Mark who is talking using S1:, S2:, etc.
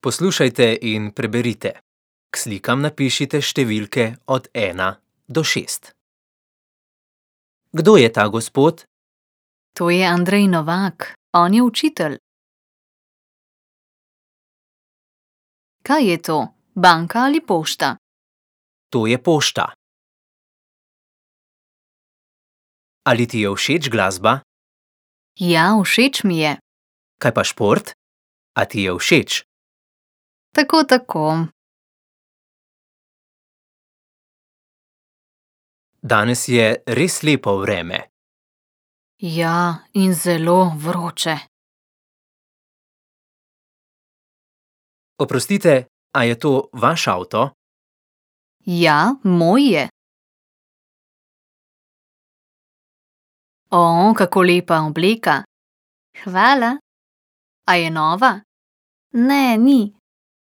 S1: Poslušajte in preberite. K slikam napišite številke od 1 do 6. Kdo je ta gospod?
S2: To je Andrej Novak, on je učitelj. Kaj je to, banka ali pošta?
S1: To je pošta. Ali ti je všeč glasba?
S2: Ja, všeč mi je.
S1: Kaj pa šport? A ti je všeč?
S2: Tako, tako.
S1: Danes je res lepo vreme.
S2: Ja, in zelo vroče.
S1: Oprostite, a je to vaš avto?
S2: Ja, moj je. O, kako lepa obleka. Hvala. A je nova? Ne, ni.